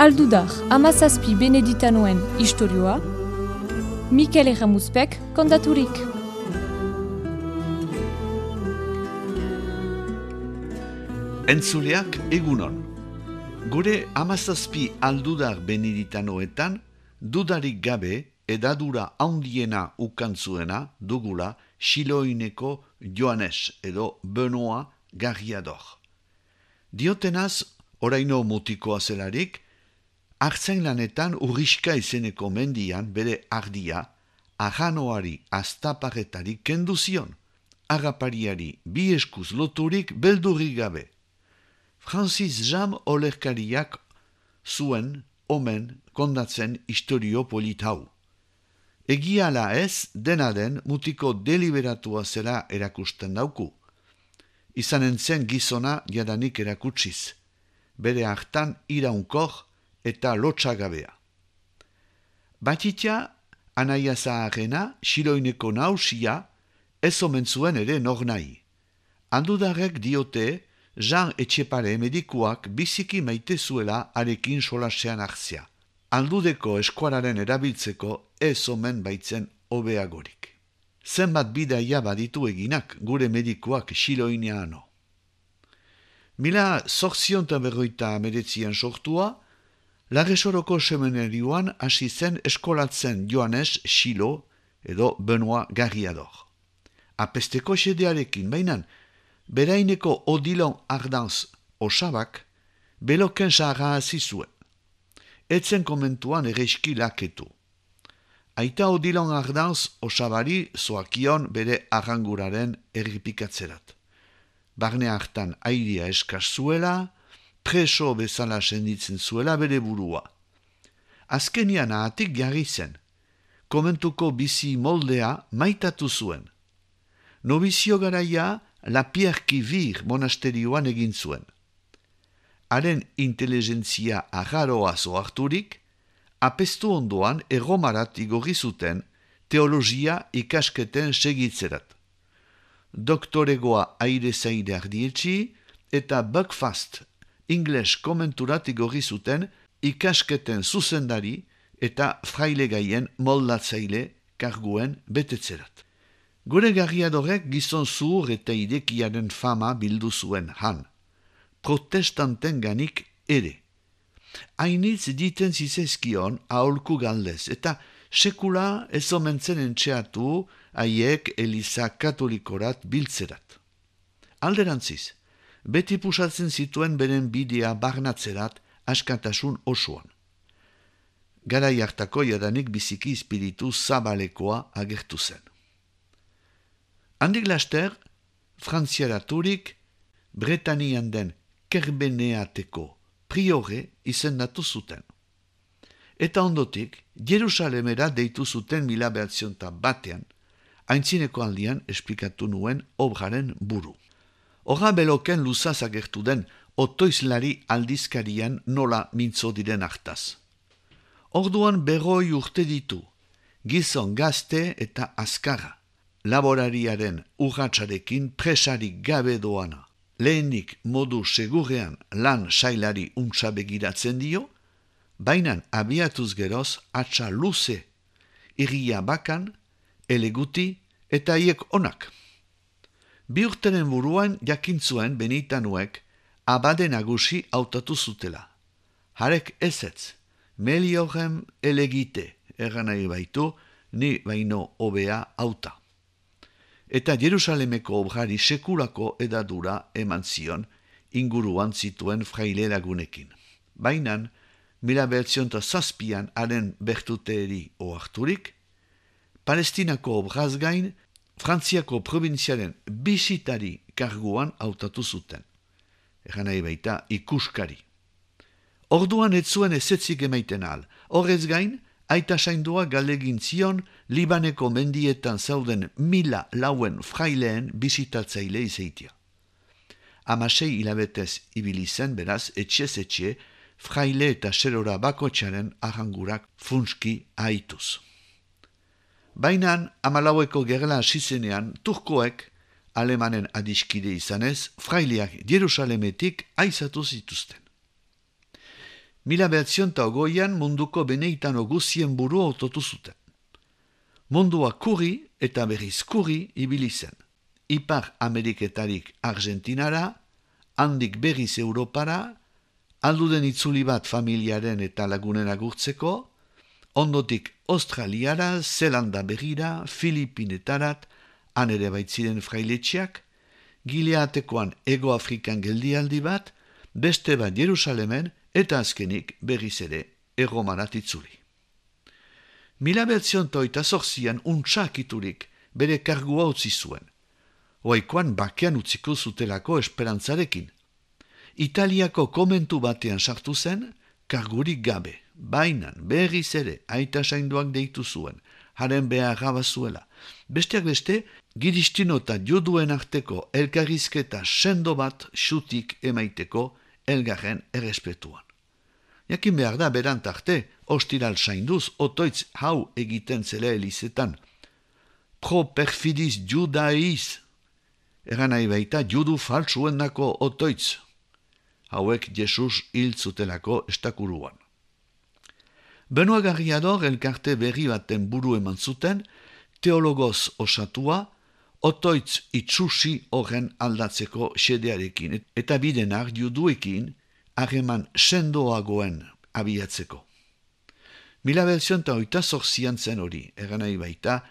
Aldudar, hamazazpi beneditanoen istorioa, Mikel Erramuzpek kontaturik. Entzuleak egunon. Gure hamazazpi aldudar beneditanoetan, dudarik gabe edadura handiena ukantzuena dugula Xiloineko Joanes edo Benoa Garriador. Diotenaz, oraino mutikoa zelarik, artzain lanetan Urriska izeneko mendian bere ardia, arranoari aztaparretari kendu zion, harrapariari bi eskuz loturik beldurrik gabe. Francis Jam olerkariak zuen omen kondatzen istorio polit hau. Egia ala ez, dena den mutiko deliberatua zela erakusten dauku. Izanen zen gizona jadanik erakutsiz, bere hartan iraunkor eta lotsagabea. Batitia, anaia zaharrena, Xiloineko nausia, ez omen zuen ere nor nahi. Handudarrek diote, Jean Etxepare medikuak biziki maite zuela arekin solasean hartzea. Aldudeko eskuararen erabiltzeko ez omen baitzen hobeagorik. Zenbat bidaia baditu eginak gure medikuak Xiloineano. 1859an sortua, Larresoroko seminarioan hasi zen eskolatzen Joanes Xilo edo Benoa Garriador. Apesteko xedearekin bainan, beraineko Odilon Ardanz osabak beloken saharra hasi zuen. Etzen komentuan ereski laketu. Aita Odilon Ardanz osabari zoakion bere arranguraren erripikatzerat. Barne hartan airia eskaz zuela, preso bezala senditzen zuela bere burua. Azkenian ahatik jarri zen, komentuko bizi moldea maitatu zuen. Nobizio garaia La Pierre qui Vire monasterioan egin zuen. Haren inteligentzia arraroa zoarturik, apestu ondoan erromarat igorri zuten teologia ikasketen segitzerat. Doktoregoa aire zaide ardietxi eta Buckfast ingles komenturat igorri zuten ikasketen zuzendari eta frailegaien moldatzaile karguen betetzerat. Gure Garriadorek gizon zuhur eta idekiaren fama bildu zuen han, protestanten ganik ere. Hainitz diten zizezkion aholku galdez eta sekula ez omentzen entxeatu haiek Eliza katolikorat biltzerat. Alderantziz, beti pusatzen zituen beren bidea barnatzerat askatasun osoan. Garai hartako jadanik biziki espiritu zabalekoa agertu zen. Handik laster, frantziaraturik, Bretanian den Kerbeneateko priore izendatu zuten. Eta ondotik, Jerusalemera deitu zuten 1901 aintzineko aldian esplikatu nuen obraren buru. Horra beloken luzaz agertu den otoizlari aldizkarian nola mintzo diren hartaz. Orduan 100 urte ditu, gizon gazte eta azkarra. Laborariaren urratsarekin presarik gabe doana. Lehenik modu segurrean lan sailari untsa begiratzen dio, bainan abiatuz geroz atxa luze, irria bakan, eleguti eta haiek onak. 2 urteren buruan jakintzuen benitanuek abade nagusi hautatu zutela. Harek ezetz, meliorem elegite, nahi baitu, ni baino hobea hauta. Eta Jerusalemeko obrari sekulako edadura eman zion inguruan zituen fraile lagunekin. Bainan, 1907an haren bertuteeri oharturik, Palestinako obraz gain, Frantziako probintziaren bisitari karguan hautatu zuten. Nahi baita ikuskari. Orduan ez zuen ezetzik emaiten ahal. Horrez gain, aita saindua galegin zion Libaneko mendietan zauden 1000 lauen fraileen bisitatzaile izeitia. 16 hilabetez ibili zen beraz etxez etxe fraile eta serora bakotxaren arrangurak funski haituz. Bainan, 14ko gerla hasi zenean, turkoek alemanen adiskide izanez, fraileak Jerusalemetik aizatu zituzten. 1920an munduko beneitano guzien buru autotu zuten. Mundua kurri eta berriz kurri ibili zen. Ipar Ameriketarik Argentinara, handik berriz Europara, alduden itzuli bat familiaren eta lagunen agurtzeko, ondotik Australiara, Zelanda berrira, Filipinetarat, han ere baitziren frailetxeak, Gileatekoan Ego Afrikan geldialdi bat, beste bat Jerusalemen eta azkenik berriz ere Erromarat itzuli. 1928an untsakiturik bere kargua utzi zuen. Oaikoan bakean utziko zutelako esperantzarekin. Italiako komentu batean sartu zen, kargurik gabe, bainan berriz ere aita sainduak deitu zuen, haren beharra bazuela. Besteak beste, giristino eta juduen arteko elkarrizketa sendo bat xutik emaiteko elgarren errespetuan. Jakin behar da berant arte, ostiral sainduz, otoitz hau egiten zela elizetan. Pro perfidis judaiz, eran nahi baita judu faltsuendako otoitz. Hauek Jesus hil zutelako estakuruan. Benoit Garriador elkarte berri baten buru eman zuten, teologoz osatua, otoitz itsusi horren aldatzeko xedearekin, eta bidenak juduekin harreman sendoagoen abiatzeko. 1928an zen hori, eran nahi baita,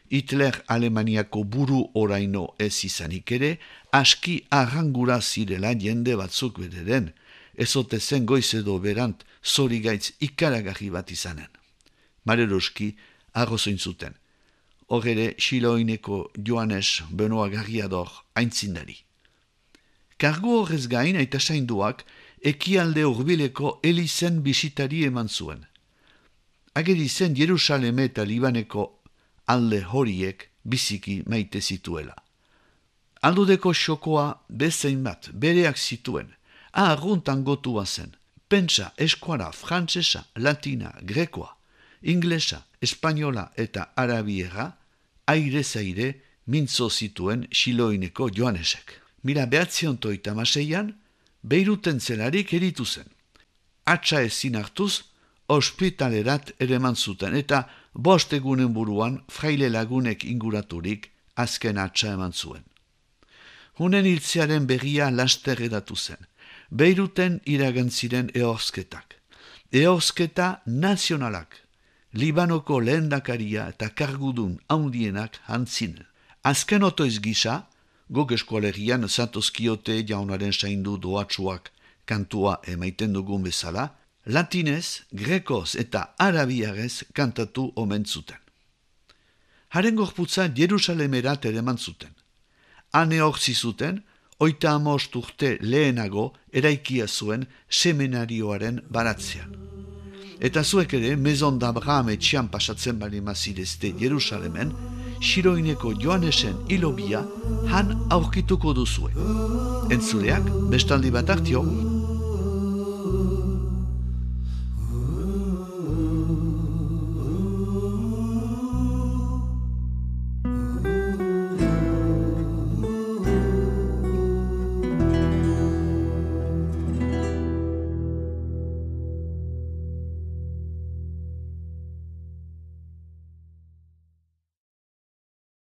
Hitler Alemaniako buru oraino ez izanik ere, aski arrangura zirela jende batzuk bederen, ezote zen goiz edo berant zorigaitz ikaragarri bat izanen. Mareroski arrozoin zuten. Hor ere Xiloineko Joanes Benoit Garriador aintzindari. Kargu horrez gain aita sainduak ekialde hurbileko elizen bisitari eman zuen. Ageri zen Jerusaleme eta Libaneko alde horiek biziki maite zituela. Aldudeko xokoa bezein bat bereak zituen, aharruntan gotua zen, pentsa, eskuara, frantsesa, latina, grekoa, inglesa, espainola eta arabiera, aire-zaire mintzo zituen Xiloineko Joanesek. 1936an, Beiruten zelarik eritu zen. Atxa ezin hartuz, ospitalerat ereman zuten eta 5 egunen buruan fraile lagunek inguraturik azken atxa eman zuen. Hunen hiltzearen berria laster edatu zen. Beiruten iragan ziren ehorzketak. Ehorzketa nazionalak, Libanoko lehendakaria eta kargudun handienak hantzinen. Azken otoiz gisa, guk eskolegian zatozkiote jaunaren saindu doatsuak kantua emaiten dugun bezala, latinez, grekoz eta arabiarez kantatu omen zuten. Haren gorputza Jerusalemerat ereman zuten. Hane hortzi zuten, 35 urte lehenago eraikia zuen seminarioaren baratzean. Eta zuek ere, Maison d'Abraham etxean pasatzen bali mazirezte Jerusalemen, Xiloineko Joanesen hilobia han aurkituko duzue. Entzuleak, bestaldi bat hartio,